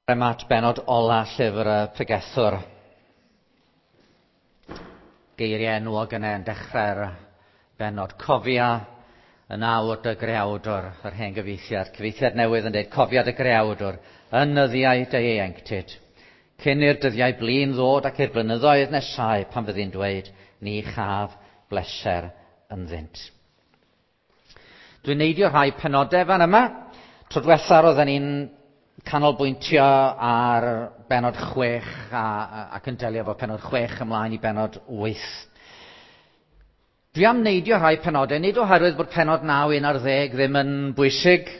Yma at benod ola llyfr y pregethwr. Geiriau enwog yna yn dechrau'r benod. Cofia yn awr dy greawdwr, yr hen gyfieithiad. Cyfieithiad newydd yn dweud, cofia dy greawdwr yn nyddiau dy ieuenctid. Cyn i'r dyddiau blin ddod ac i'r blynyddoedd nesau pan fyddi'n dweud, ni chaf bleser ynddynt. Dwi'n neidio rhai penodau fan yma. Tro diwetha roedden ni'n canolbwyntio ar benod 6 ac yn delio efo penod 6 ymlaen i benod 8. Dwi am neidio rhai penodau, nid oherwydd bod penod 9, 11 ddim yn bwysig.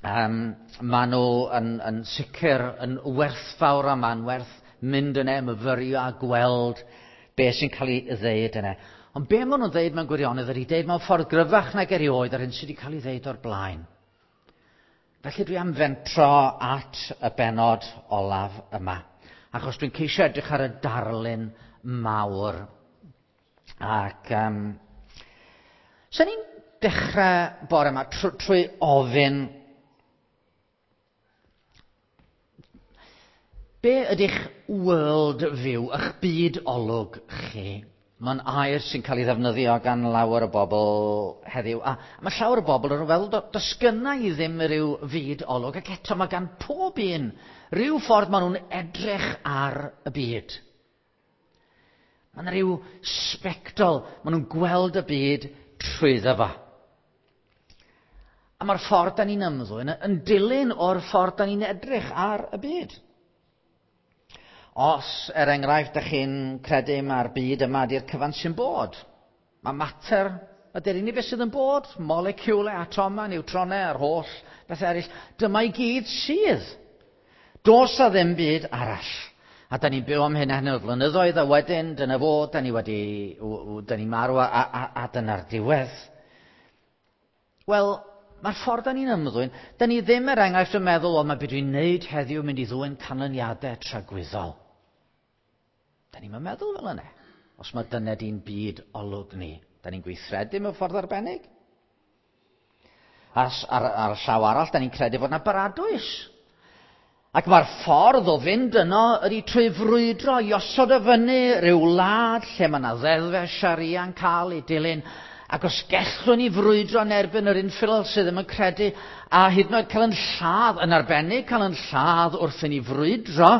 Maen nhw yn sicr yn werthfawr a ma'n werth mynd yna, myfyrio a gweld be sy'n cael ei ddeud yna. Ond be maen nhw'n ddeud mewn gwirionedd ydy deud mewn ffordd gryfach nag erioed ar hyn sydd wedi cael ei ddeud o'r blaen. Felly dwi am fentro at y benod olaf yma, achos dwi'n ceisio edrych ar y darlun mawr. Ac sa'n ni'n dechrau bore yma trwy ofyn, be ydych world view, eich byd olwg chi? Mae'n air sy'n cael ei ddefnyddio gan lawer o bobl heddiw. A mae llawer o bobl yn feddwl, does gynna i ddim rhyw fyd olwg, ac eto mae gan pob un rhyw ffordd maen nhw'n edrych ar y byd. Mae yna rhyw sbectol, maen nhw'n gweld y byd trwyddo fo. A mae'r ffordd da ni'n ymddwyn yn dilyn o'r ffordd da ni'n edrych ar y byd. Os, er enghraifft, da chi'n credu mae'r byd yma ydy'r cyfan sy'n bod, mae mater ydy'r unig beth sydd yn bod, moleciwlau, atomau, niwtronau a'r holl beth eraill, dyma i gyd sydd. Does a ddim byd arall. A da ni'n byw am hyn a hyn o flynyddoedd, a wedyn, dyna fo, da ni wedi, da ni'n marw, a dyna'r diwedd. Wel, mae'r ffordd da ni'n ymddwyn, da ni ddim er enghraifft yn meddwl, o, mae beth dwi'n neud heddiw mynd i ddwyn canlyniadau tragwyddol. Da ni'n meddwl fel yna. Os mae dyna di'n byd olwg ni, da ni'n gweithredu mewn ffordd arbennig. Ar y llaw arall, da ni'n credu fod yna baradwys. Ac mae'r ffordd o fynd yno ydy trwy frwydro i osod y fyny rhyw wlad lle mae yna ddeddfau Sharia yn cael ei dilyn. Ac os gellwn ni frwydro yn erbyn yr infidel sydd ddim yn credu, a hyd yn oed cael yn lladd, yn arbennig cael yn lladd wrth i ni frwydro,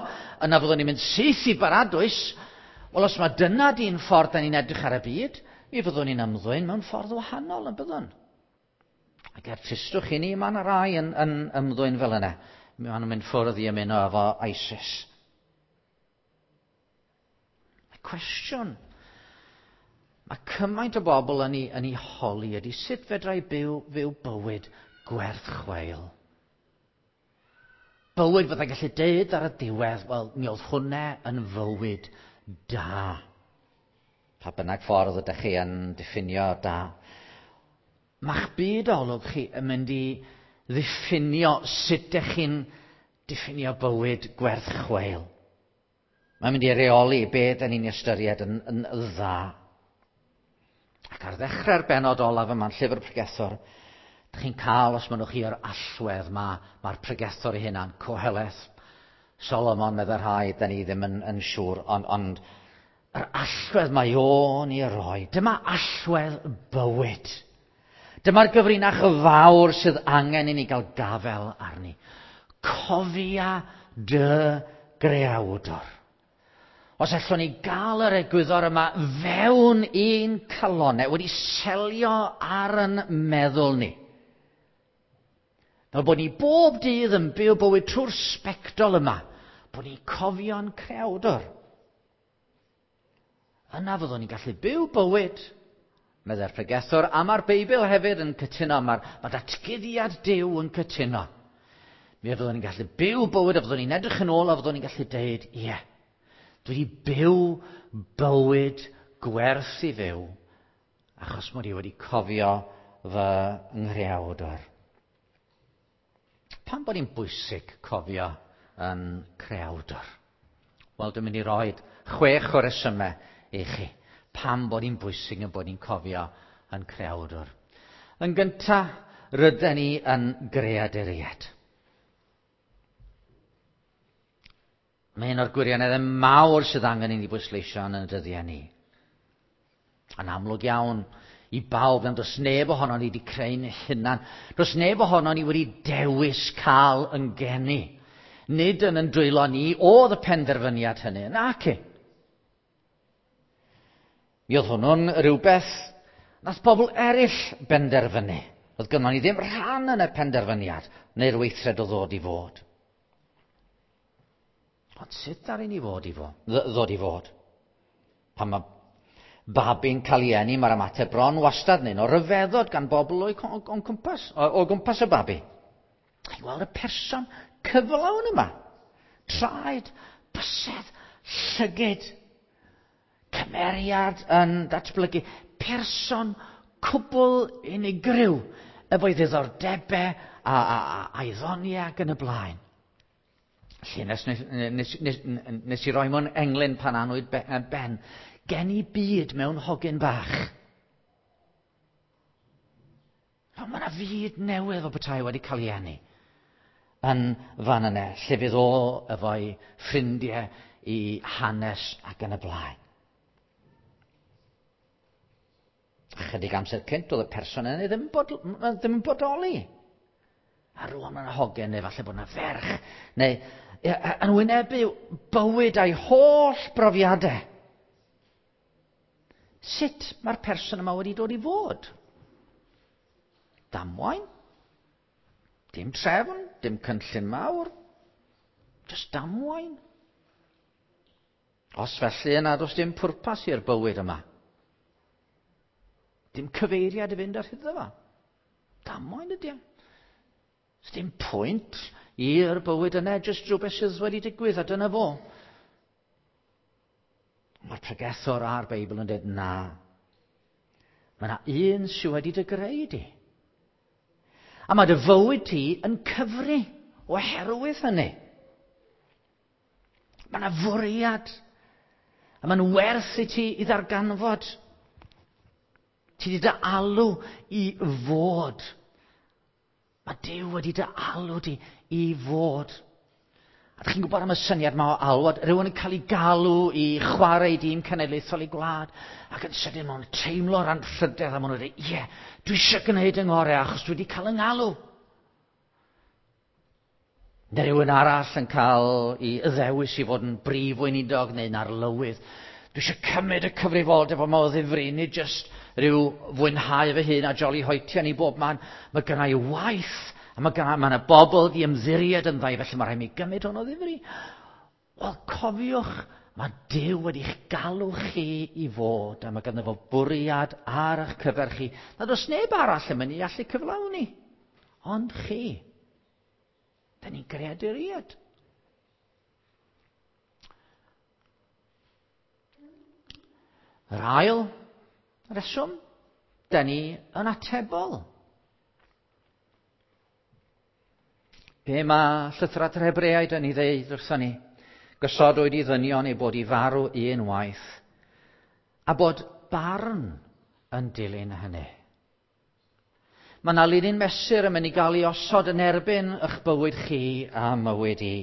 yna fyddwn ni'n mynd syth i baradwys. Wel, os mae dyna di'n ffordd da ni'n edrych ar y byd, mi fyddwn ni'n ymddwyn mewn ffordd wahanol yn byddwn. Ac er tristwch i ni, mae yna rai yn ymddwyn fel yna. Mae nhw'n mynd ffwrdd i ymuno efo ISIS. Y cwestiwn mae cymaint o bobl yn ei holi ydy sut fedra i fyw bywyd gwerth chweil. Bywyd fyddai'n gallu deud ar y diwedd, wel, mi oedd hwnna yn fywyd da. Pa bynnag ffordd ydych chi yn diffinio da. Mae'ch byd olwg chi yn mynd i ddiffinio sut ydych chi'n diffinio bywyd gwerth chweil. Mae'n mynd i reoli be da ni'n ystyried yn dda. Ac ar ddechrau'r benod olaf yma'n llyfr pregethwr, dych chi'n cael, os mynnwch chi, yr allwedd mae'r pregethwr ei hunan, Coheleth, Solomon, meddai rhai, da ni ddim yn siŵr, ond yr allwedd mae o'n ei roi. Dyma allwedd bywyd. Dyma'r gyfrinach fawr sydd angen i ni gael gafael arni. Cofia dy greawdor. Os allwn ni gael yr egwyddor yma fewn i'n calonnau, wedi selio ar yn meddwl ni. Fel bod ni bob dydd yn byw bywyd trwy'r sbectol yma, bod ni'n cofio'n creawdor. Yna fyddwn ni'n gallu byw bywyd, meddai'r pregethwr, a mae'r Beibl hefyd yn cytuno, mae datguddiad Duw yn cytuno. Mi fyddwn ni'n gallu byw bywyd, a fyddwn ni'n edrych yn ôl, a fyddwn ni'n gallu deud, ie, dwi wedi byw bywyd gwerth i fyw, achos mod i wedi cofio fy nghreawdor. Pam bod hi'n bwysig cofio yn creawdor? Wel, dwi'n mynd i roi 6 o resymau i chi. Pam bod hi'n bwysig yn bod ni'n cofio yn creawdor. Yn gyntaf, rydyn ni yn greaduriaid. Mae un o'r gwirioneddau mawr sydd angen i ni bwysleisio yn y dyddiau ni. Yn amlwg iawn i bawb, ond does neb ohono ni wedi creu'n hunan. Does neb ohono ni wedi dewis cael yn geni. Nid yn yn dwylo ni oedd y penderfyniad hynny, naci. Mi oedd hwnnw'n rhywbeth nath pobl eraill benderfynu. Oedd gynnon ni ddim rhan yn y penderfyniad neu'r weithred o ddod i fod. Ond sut ddaru ni fod i fo, ddod i fod? Pan mae babi'n cael ei eni, mae'r ymateb bron wastad neu o ryfeddod gan bobl o'i o'n cwmpas, o gwmpas y babi. I weld y person cyflawn yma. Traed, bysedd, llygid, cymeriad yn datblygu. Person cwbl unigryw efo'i ddiddordebau a'i ddoniau ac yn y blaen. Lle nes, nes, nes, nes, nes i roi mewn englyn pan anwyd Ben, gen i byd mewn hogyn bach. Ond mae yna fyd newydd o bethau wedi cael ei eni yn fan yna, lle fydd o efo'i ffrindiau i hanes ac yn y blaen. Chydig amser cynt oedd y person yna ddim, bod, ddim yn bodoli. A rwan mae'n hogen neu falle bod yna ferch, neu yn wynebu bywyd a'i holl brofiadau. Sut mae'r person yma wedi dod i fod? Damwain? Dim trefn, dim cynllun mawr. Just damwain. Os felly yna, does dim pwrpas i'r bywyd yma. Dim cyfeiriad i fynd ar hyd fo. Damwain ydy o. Does dim pwynt i'r bywyd yna, jyst rhywbeth sydd wedi digwydd, a dyna fo. Mae'r pregethwr a'r Beibl yn dweud na. Mae yna un sydd wedi dy greu di. A mae dy fywyd ti yn cyfri oherwydd hynny. Mae yna fwriad. A mae'n werth i ti i ddarganfod. Ti wedi dy alw i fod. Mae Duw wedi dy alw di i fod. A ydych chi'n gwybod am y syniad yma o alwad? Rhywun yn cael ei galw i chwarae i dîm cenedlaethol i gwlad, ac yn sydyn maen nhw'n teimlo'r anrhydedd a maen nhw'n dweud, ie, dwi eisiau gwneud yng ngorau achos dwi wedi cael yng ngalw. Neu rhywun arall yn cael ei ddewis i fod yn brif weinidog neu'n arlywydd. Dwi eisiau cymryd y cyfrifoldeb yma o ddifri, nid jyst rhyw fwynhau fy hun a joli hoetian i bob man. Mae gynna i waith, a mae gynna, mae yna bobl di ymddiried yn ddau, felly mae rhaid mi gymryd hwn o ddifri. Wel, cofiwch, mae Duw wedi'ch galw chi i fod, a mae ganddo fo bwriad ar eich cyfer chi, nad oes neb arall yn mynd i allu cyflawni, ond chi. Da ni'n greaduriaid. Yr ail reswm, da ni yn atebol. Be mae llythrad yr Hebreaid yn ei ddeud wrthon ni? Gosodwyd i ddynion ei bod i farw un waith, a bod barn yn dilyn hynny. Mae yna linyn mesur yn mynd i gael ei osod yn erbyn eich bywyd chi a mywyd i.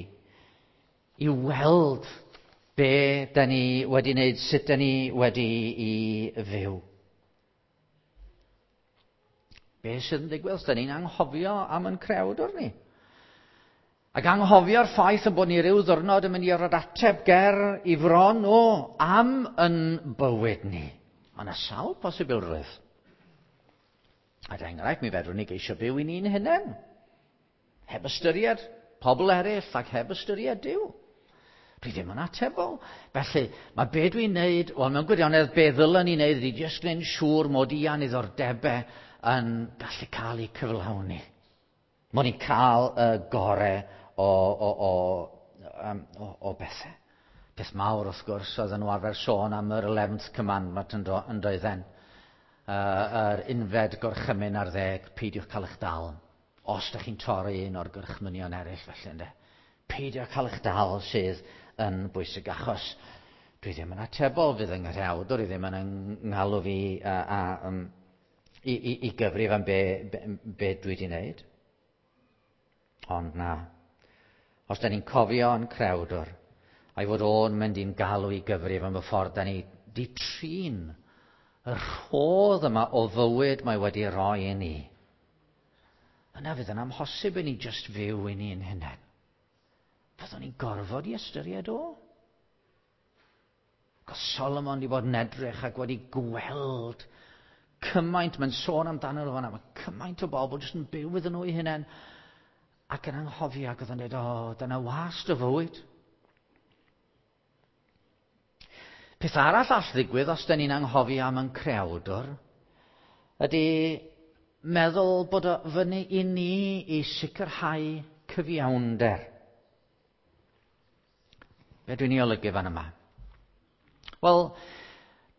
I weld be da ni wedi wneud, sut da ni wedi i fyw. Be sydd yn digwydd os da ni'n anghofio am yn crewdwr ni? Ac anghofio'r ffaith yn bod ni ryw ddwrnod yn mynd i orfod ateb ger i fron o am yn bywyd ni. Mae yna sawl posibilrwydd. Er enghraifft, mi fedrwn ni geisio byw i ni'n hunain. Heb ystyried pobl eraill ac heb ystyried Duw. Dwi ddim yn atebol. Felly, mae be dwi'n neud, wel, mewn gwirionedd, be ddylen ni neud ydy jyst gwneud siŵr mod i a'n niddordebau yn gallu cael eu cyflawni. Mod i'n cael y gore o, o, o, um, o, o bethau. Peth mawr, wrth gwrs, oedd nhw arfer sôn am yr 11th commandment yn, do, yn doedden. Yr unfed gorchymyn ar ddeg, peidiwch cael eich dal. Os ydych chi'n torri un o'r gorchmynion eraill, felly, ynddo. Peidio cael eich dal sydd yn bwysig, achos dwi ddim yn atebol, fydd yng nghrewdwr i ddim yn ngalw fi a, a, um, i, i, i gyfrif am be, be, be dwi wedi wneud. Ond na, os da ni'n cofio yn crewdwr, A'i fod o'n mynd i'n galw i gyfrif am y ffordd da ni di trin y rhodd yma o fywyd mae wedi roi i ni. Yna fydd yn amhosib i ni jyst fyw i ni'n hunain. Fyddwn ni'n gorfod i ystyried o. Ac Solomon wedi bod yn edrych ac wedi gweld cymaint, mae'n sôn amdano nhw fanna, mae cymaint o bobl jyst yn byw iddyn nhw eu hunain ac yn anghofio ac oedd yn dweud, o, dyna wast o fywyd. Peth arall all ddigwydd os da ni'n anghofio am yn creawdwr ydy meddwl bod o fyny i ni i sicrhau cyfiawnder. Be dwi'n ei olygu fan yma? Wel,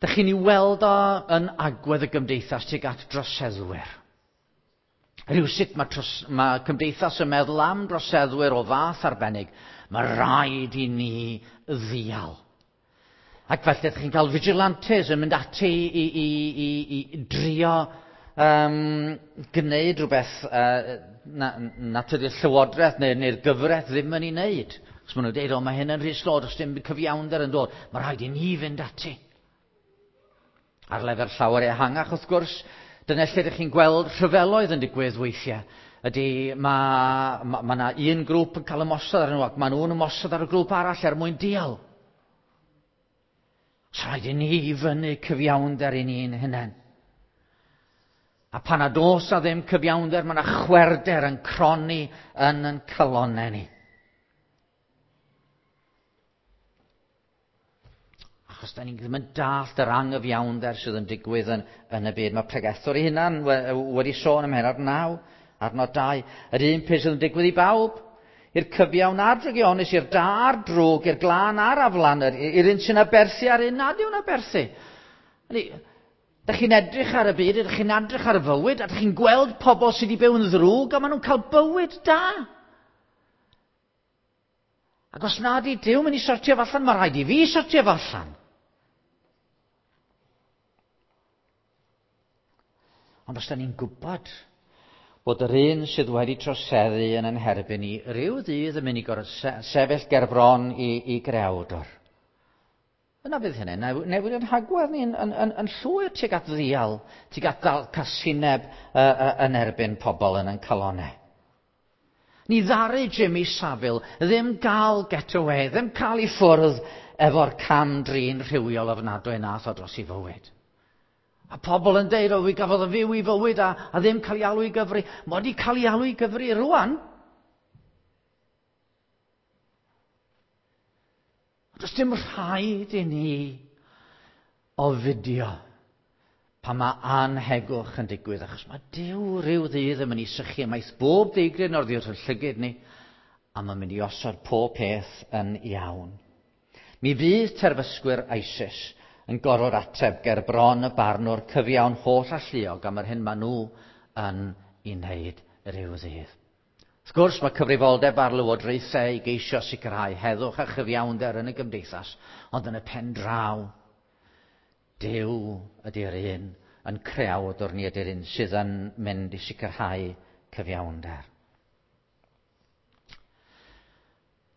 da chi'n ei weld o yn agwedd y gymdeithas tuag at droseddwyr. Rhywsut mae, tros, mae cymdeithas yn meddwl am droseddwyr o fath arbennig. Mae rhaid i ni ddial. Ac felly ydych chi'n cael vigilantes yn mynd ati i, i, i, i drio gwneud rhywbeth na, na tydi'r llywodraeth neu'r neu gyfraith ddim yn ei wneud. Os maen nhw'n dweud, o, mae hyn yn rhy slo, does dim cyfiawnder yn dod. Mae rhaid i ni fynd ati. Ar lefel llawer ehangach, wrth gwrs, dyna lle ydych chi'n gweld rhyfeloedd yn digwydd weithiau. Ydy, mae ma, ma yna un grŵp yn cael ymosod ar nhw ac maen nhw'n ymosod ar y grŵp arall er mwyn dial. Os rhaid i ni fyny cyfiawnder i ni'n hunain. A pan nad oes a ddim cyfiawnder, mae yna chwerder yn cronni yn yn calonnau ni. Achos da ni ddim yn dallt yr angyfiawnder sydd yn digwydd yn, yn y byd. Mae pregethwr ei hunan wedi sôn am hyn ar 9, adnod 2. Yr un peth sydd yn digwydd i bawb. I'r cyfiawn a'r drygionus, i'r da a'r drwg, i'r glân a'r aflan, i'r un sy'n aberthu a'r un nad yw'n aberthu. Da chi'n edrych ar y byd, ydych chi'n edrych ar y fywyd, a ydych chi'n gweld pobl sydd wedi byw yn ddrwg, a maen nhw'n cael bywyd da. Ac os nad i Duw mynd i sortio fo allan, mae rhaid i fi sortio fo allan. Ond os da ni'n gwybod bod yr un sydd wedi troseddu yn yn herbyn ni rhyw ddydd yn mynd i gorfod sefyll ger bron i, i grewdwr. Yna fydd hynny'n newid yn hagwedd ni yn, yn, yn, yn llwyr tuag at ddial, tuag at ddal casineb yn erbyn pobl yn yn calonau. Ni ddaru Jimmy Savile ddim gael get away, ddim cael ei ffwrdd efo'r cam drin rhywiol ofnadwy nath o dros ei fywyd. A pobl yn deud, o, fi gafodd o fyw i fywyd a, a ddim cael ei alw i gyfri. Mae wedi cael ei alw i gyfri rwan. Does dim rhaid i ni ofidio pan mae anhegwch yn digwydd, achos mae Duw rhyw ddydd yn mynd i sychu ymaith bob deigryn o'r ddiwrth yn llygyd ni, a mae'n mynd i osod pob peth yn iawn. Mi fydd terfysgwyr ISIS yn gorfod ateb ger bron y barnwr cyfiawn holl alluog am yr hyn maen nhw yn ei wneud rhyw ddydd. Wrth gwrs, mae cyfrifoldeb ar lywodraethau i geisio sicrhau heddwch a chyfiawnder yn y gymdeithas, ond yn y pen draw, Duw ydy'r un yn creawdwr ni ydy'r un sydd yn mynd i sicrhau cyfiawnder.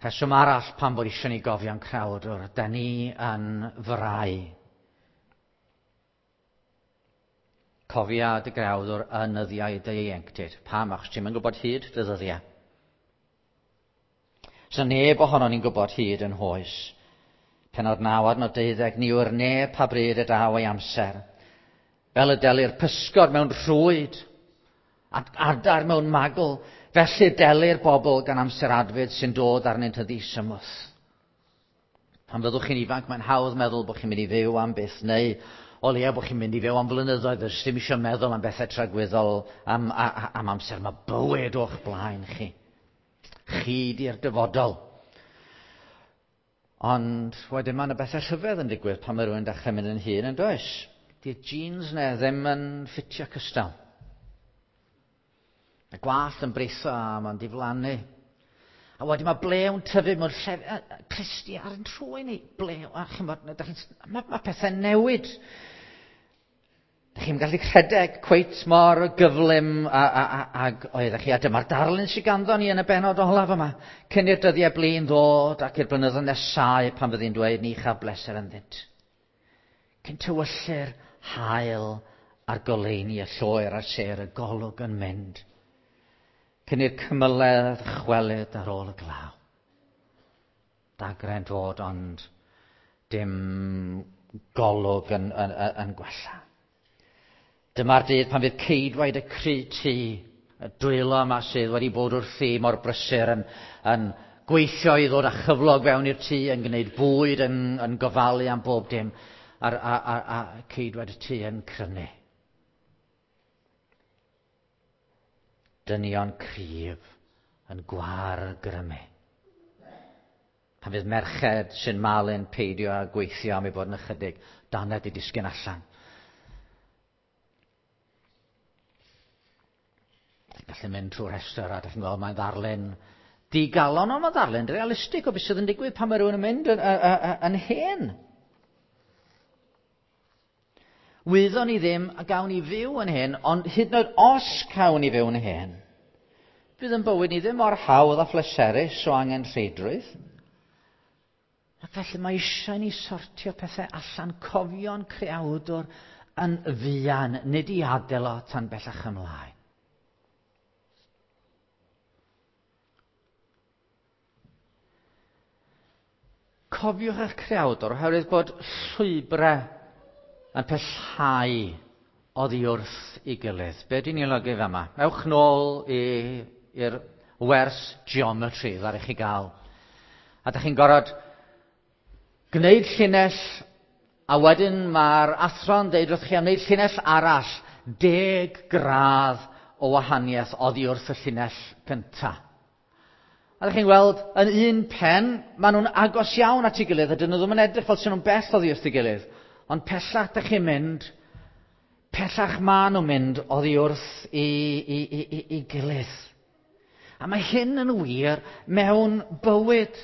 Rheswm arall pam bod eisiau ni gofio'n creawdwr, da ni yn frau. Cofia dy greawdwr yn nyddiau dy ieuenctid. Pam? Achos ti'm yn gwybod hyd dy ddyddiau. Sa neb ohonon ni'n gwybod hyd yn hoes. Pennod 9 adnod 12, ni yw'r neb pa bryd y daw ei amser. Fel y delir pysgod mewn rhwyd, adar mewn magl, felly delir bobl gan amser adfyd sy'n dod arnynt yn ddisymwth. Pan fyddwch chi'n ifanc, mae'n hawdd meddwl bod chi'n mynd i fyw am byth, neu o leia bod chi'n mynd i fyw am flynyddoedd, does dim eisiau meddwl am bethau tragwyddol am, am amser. Mae bywyd o'ch blaen chi. Chi di'r dyfodol. Ond wedyn mae yna bethau rhyfedd yn digwydd pan mae rhywun dechrau mynd yn hŷn, yn does? Di'r jeans ne ddim yn ffitio cystal. Y gwallt yn britho a mae'n diflannu. A wedyn mae blew'n tyfu mewn llef... Clustia ar yn trwy ni. Blew, a chymod, mae, mae pethau'n newid. Dych chi'n gallu rhedeg cweit mor gyflym ag oeddech chi. A dyma'r darlun sydd ganddo ni yn y benod olaf yma. Cyn i'r dyddiau blin ddod ac i'r blynyddoedd nesau pan fyddi'n dweud ni chaf bleser ynddynt. Cyn tywyllu'r haul a'r goleuni y lloer a'r sêr y golwg yn mynd. Cyn i'r cymyledd chwelyd ar ôl y glaw. Dagre'n dod ond dim golwg yn gwella. Dyma'r dydd pan fydd ceidwaid y cry tŷ, y dwylo yma sydd wedi bod wrthi mor brysur yn gweithio i ddod â chyflog fewn i'r tŷ, yn gwneud bwyd, yn gofalu am bob dim, a ceidwaid y tŷ yn crynu. Dynion cryf yn gwargrymu. Pan fydd merched sy'n malu'n peidio â gweithio am ei bod yn ychydig, dannedd i disgyn allan. Gallu mynd trwy'r rhestr a dych chi'n gweld mae'n ddarlun digalon, ond mae'n ddarlun realistig o beth sydd yn digwydd pan mae rhywun yn mynd yn hen. Wyddon ni ddim a gawn ni fyw yn hen, ond hyd yn oed os cawn ni fyw yn hen, fydd yn bywyd ni ddim mor hawdd a phleserus o angenrheidrwydd. Ac felly mae eisiau ni sortio pethau allan, cofio'n creawdwr yn fuan, nid i adael o tan bellach ymlaen. Cofiwch eich creawdwr oherwydd bod llwybrau yn pellhau oddi wrth ei gilydd. Be dwi'n ei olygu fama? Ewch nôl i'r wers geometry ddaru chi gael. A dych chi'n gorfod gwneud llinell, a wedyn mae'r athro'n deud wrth chi am wneud llinell arall, 10 gradd o wahaniaeth oddi wrth y llinell gyntaf. A ydych chi'n gweld, yn un pen, maen nhw'n agos iawn at ei gilydd, a dyn nhw ddim yn edrych fel sy'n nhw'n bell oddi wrth ei gilydd. Ond pellach ydych chi'n mynd, pellach maen nhw'n mynd oddi wrth i gilydd. A mae hyn yn wir mewn bywyd.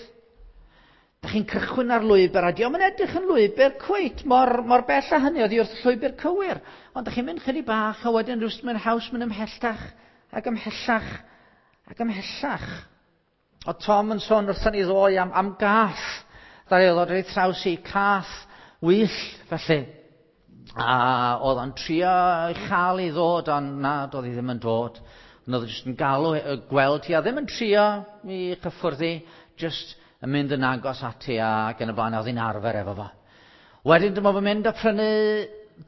Dych chi'n cychwyn ar lwybr, a dio'm yn edrych yn lwybr cweit mor bell â hynny oddi wrth y llwybr cywir. Ond dych chi'n mynd chydig bach, a wedyn rhywsut mae'n haws mynd ymhellach, ac ymhellach, ac ymhellach. O Tom yn sôn wrthon ni ddoe am gath. Ddaru ddod ar ei thraws i, cath wyll felly. A oedd o'n trio ei chael i ddod, ond na, doedd hi ddim yn dod. Ond oedd o jyst yn galw, gweld hi, a ddim yn trio i chyffwrdd hi, jyst yn mynd yn agos ati ac yn y blaen, oedd hi'n arfer efo fo. Wedyn dyma fo'n mynd a prynu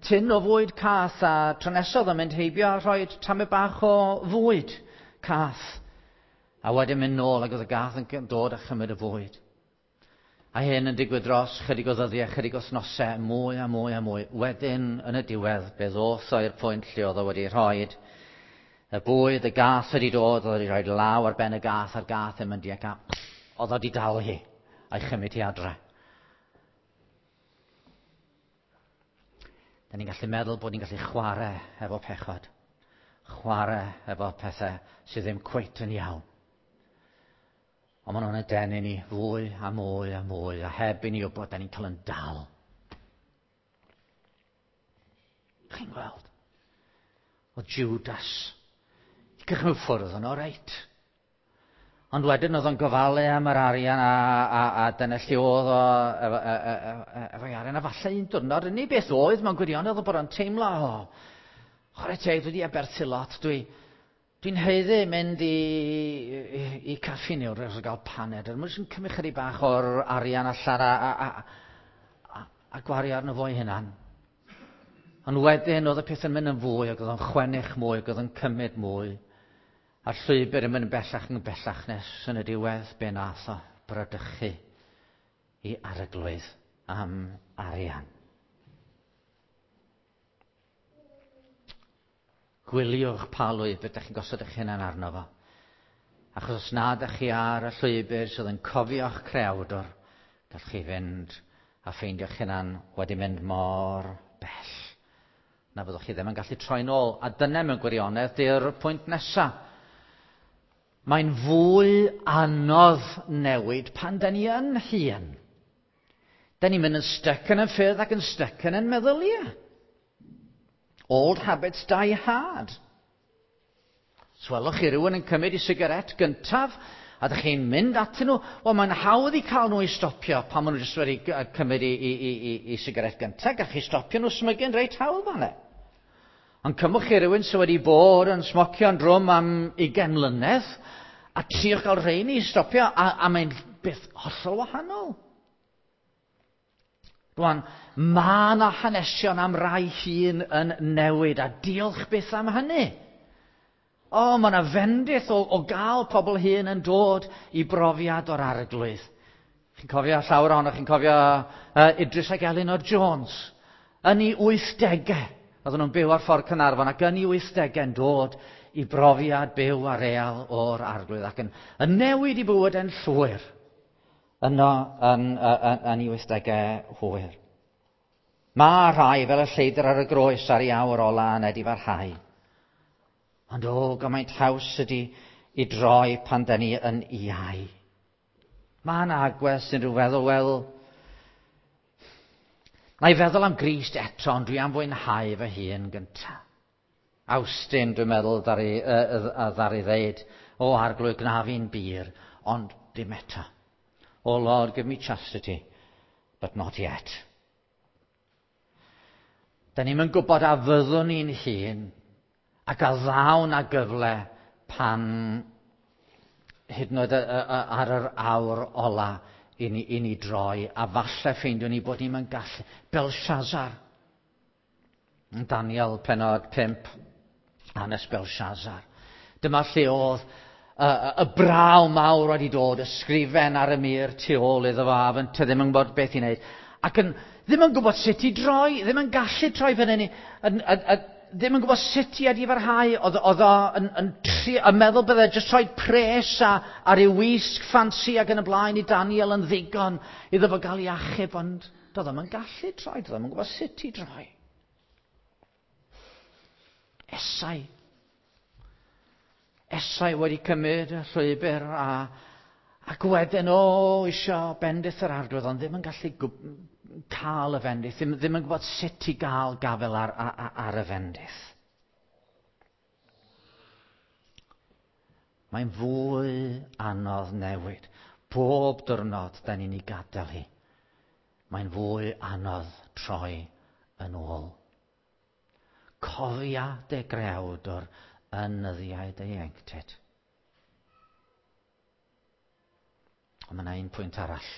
tin o fwyd cath, a tro nesaf oedd o'n mynd heibio a rhoi tamed bach o fwyd cath. A wedyn mynd nôl ac oedd y gath yn dod a chymryd y fwyd. A hyn yn digwydd dros chydig o ddyddiau, chydig o wythnosau, mwy a mwy a mwy. Wedyn, yn y diwedd, be ddoth o i'r pwynt lle oedd o wedi rhoi y bwyd, y gath wedi dod, oedd wedi rhoi law ar ben y gath, a'r gath yn mynd i ac oedd o wedi dal hi a'i chymryd hi adre. Da ni'n gallu meddwl bod ni'n gallu chwarae efo pechod, chwarae efo pethau sydd ddim cweit yn iawn. Ond maen nhw'n denu ni fwy a mwy a mwy, a heb i ni wybod, da ni'n cael yn dal. Chi'n gweld? O Judas. I gychwyn ffwrdd yn o reit. Ond wedyn oedd o'n gofalu am yr arian a dyna lle oedd o efo'i arian. A falle un diwrnod, yn ei beth oedd mewn gwirionedd oedd bod o'n teimlo, o, chwarae teg, dwi wedi aberthu lot, dwi'n haeddu mynd i caffi neu rhywbeth o gael paned. Mae'n jyst yn cymryd chydig bach o'r arian allan a gwario arno fo'i hunan. Ond wedyn oedd y peth yn mynd yn fwy, ac oedd o'n chwennych mwy, ac oedd o'n cymryd mwy. A'r llwybr yn mynd yn bellach yn bellach nes yn y diwedd, be nath o bradychu i arglwydd am arian. Gwyliwch pa lwybr ydych chi'n gosod eich hunan arno fo. Achos os nad ydych chi ar y llwybr sydd yn cofio'ch creawdwr, gallwch chi fynd a ffeindio'ch hunan wedi mynd mor bell na fyddwch chi ddim yn gallu troi nôl. A dyna mewn gwirionedd di'r pwynt nesa. Mae'n fwy anodd newid pan da ni yn hŷn. Da ni'n mynd yn styc yn y ffyrdd ac yn styc yn ein meddyliau. Old habits die hard. Swelwch chi rhywun yn cymryd i sigaret gyntaf, a ydych chi'n mynd atyn nhw, wel mae'n hawdd i cael nhw i stopio pan maen nhw jyst wedi cymryd i sigaret gyntaf. Gallwch chi stopio nhw smygu'n reit hawdd fan e. Ond cymwch chi rhywun sydd wedi bod yn smocio'n drwm am 20 mlynedd, a triwch gael rheini i stopio, a mae'n beth hollol wahanol. Rwan, mae yna hanesion am rai hun yn newid, a diolch byth am hynny. O, mae yna fendith o gael pobl hyn yn dod i brofiad o'r Arglwydd. Chi'n cofio llawer ohonoch, chi'n cofio Idris ac Elinor Jones. Yn ei 80au, oedden nhw'n byw ar ffordd Caernarfon, ac yn ei 80au yn dod i brofiad byw a real o'r Arglwydd, ac yn newid i bywyd yn llwyr yno yn ei 80au hwyr. Mae rhai fel y lleidr ar y groes ar ei awr ola yn edifarhau. Ond o, gymaint haws ydy i droi pan da ni yn iau. Mae yna agwedd sy'n rhyw feddwl, wel, na i feddwl am Grist eto, ond dwi am fwynhau fy hun gyntaf. Awstin, dwi'n meddwl, ddaru ddeud, o Arglwydd, gna fi'n bur, ond dim eto. Oh Lord, give me chastity, but not yet. Da ni'm yn gwybod a fyddwn ni'n hun ac a ddaw na gyfle pan hyd yn oed ar yr awr ola i ni droi, a falle ffeindiwn ni bod ni'm yn gallu. Belshazzar. Daniel penod 5, hanes Belshazzar. Dyma lle oedd y braw mawr wedi dod, y sgrifen ar y mur tu ôl iddo fo, a fynte ddim yn gwybod beth i wneud. Ac yn, ddim yn gwybod sut i droi, ddim yn gallu troi fan hynny, ddim yn gwybod sut i edifarhau. Oedd o yn meddwl bydde jyst rhoi pres a ryw wisg ffansi ac yn y blaen i Daniel yn ddigon iddo fo gael ei achub, ond doedd o'm yn gallu troi, doedd o'm yn gwybod sut i droi. Esau. Esau wedi cymryd y llwybr ac wedyn o isio bendith yr Arglwydd, ond ddim yn gallu cael y fendith, ddim yn gwybod sut i gael gafael ar y fendith. Mae'n fwy anodd newid. Pob diwrnod da ni'n ei gadael hi. Mae'n fwy anodd troi yn ôl. Cofia dy grewdwr yn nyddiau dy ieuenctid. Ond mae yna un pwynt arall.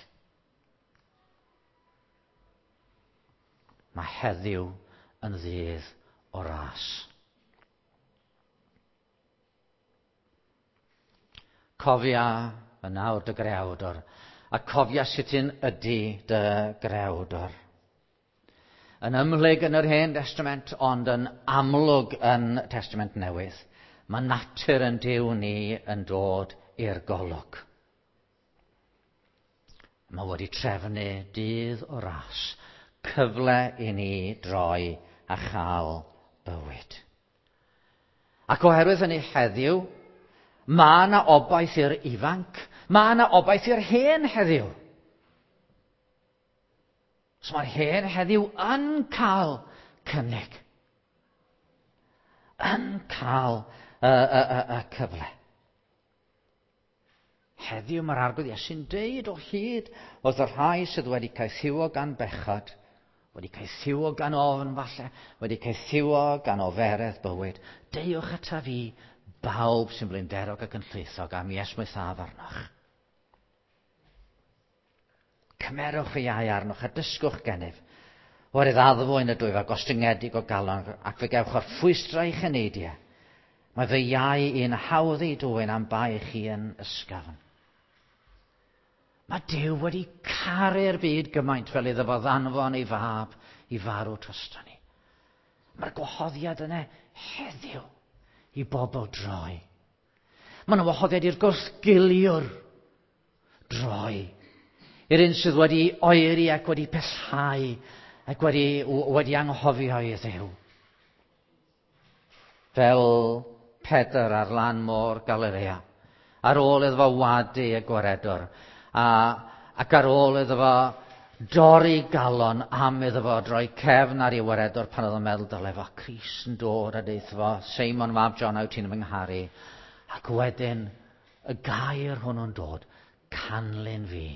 Mae heddiw yn ddydd o ras. Cofia yn awr dy grewdwr, a cofia sut un ydy dy grewdwr. Yn ymhlyg yn yr Hen Testament, ond yn amlwg yn Testament Newydd, mae natur yn Duw ni yn dod i'r golwg. Mae wedi trefnu dydd o ras, cyfle i ni droi a chael bywyd. Ac oherwydd hynny heddiw, mae yna obaith i'r ifanc, mae yna obaith i'r hen heddiw. So mae'r hen heddiw yn cael cynnig. Yn cael y cyfle. Heddiw mae'r Arglwydd Iesu'n deud o hyd wrth y rhai sydd wedi caethiwo gan bechod, wedi caethiwo gan ofn falle, wedi caethiwo gan oferedd bywyd. Deuwch ata fi, bawb sy'n blinderog ac yn llwythog, a mi esmwythaf arnoch. Cymerwch fy iau arnoch a dysgwch gennyf. Oherwydd addfwyn y dwyf a gostyngedig o galon, ac fe gewch o'r ffwystra i'ch eneidiau. Mae fy iau i'n hawdd ei dwyn am bai chi yn ysgafn. Mae Duw wedi caru'r byd gymaint fel iddo fo ddanfon ei fab i farw drosto ni. Mae'r gwahoddiad yna heddiw i bobl droi. Mae yna wahoddiad i'r gwrthgiliwr droi. I'r un sydd wedi oeri ac wedi pellhau ac wedi anghofio i Dduw. Fel Pedr ar lan môr Galilea, ar ôl iddo fo wadu y gwaredwr, ac ar ôl iddo fo dorri galon am iddo fo droi cefn ar ei waredwr pan oedd o'n meddwl dyle fo Crist yn dod a deutha fo, Seimon mab John, wyt ti'n fy ngharu? Ac wedyn y gair hwnnw'n dod, canlyn fi.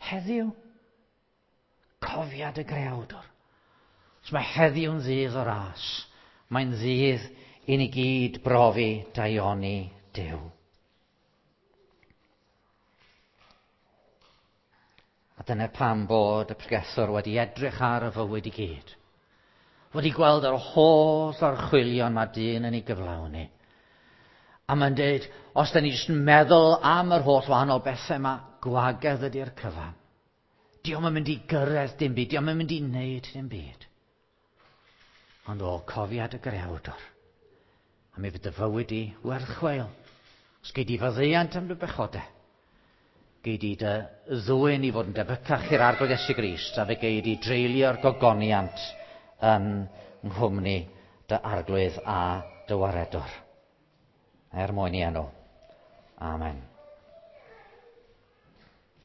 Heddiw, cofiad y greawdwr. Os mae heddiw'n ddydd o ras, mae'n ddydd i ni gyd brofi daioni Duw. A dyna pam bod y pregethwr wedi edrych ar y fywyd i gyd. Wedi gweld yr holl orchwylion mae dyn yn ei gyflawni. A mae'n dweud, os da ni jyst yn meddwl am yr holl wahanol bethau yma, gwagedd ydy'r cyfan. Dio'm yn mynd i gyrraedd dim byd, dio'm yn mynd i wneud dim byd. Ond o, cofiad y greawdwr. A mi fydd dy fywyd i werth chweil. Os gei di faddeuant am dy bechodau, gei di dy ddwyn i fod yn debycach i'r Arglwydd Iesu Grist, a fe gei di dreulio'r gogoniant yn nghwmni dy Arglwydd a dy waredwr. Er mwyn i enw. Amen.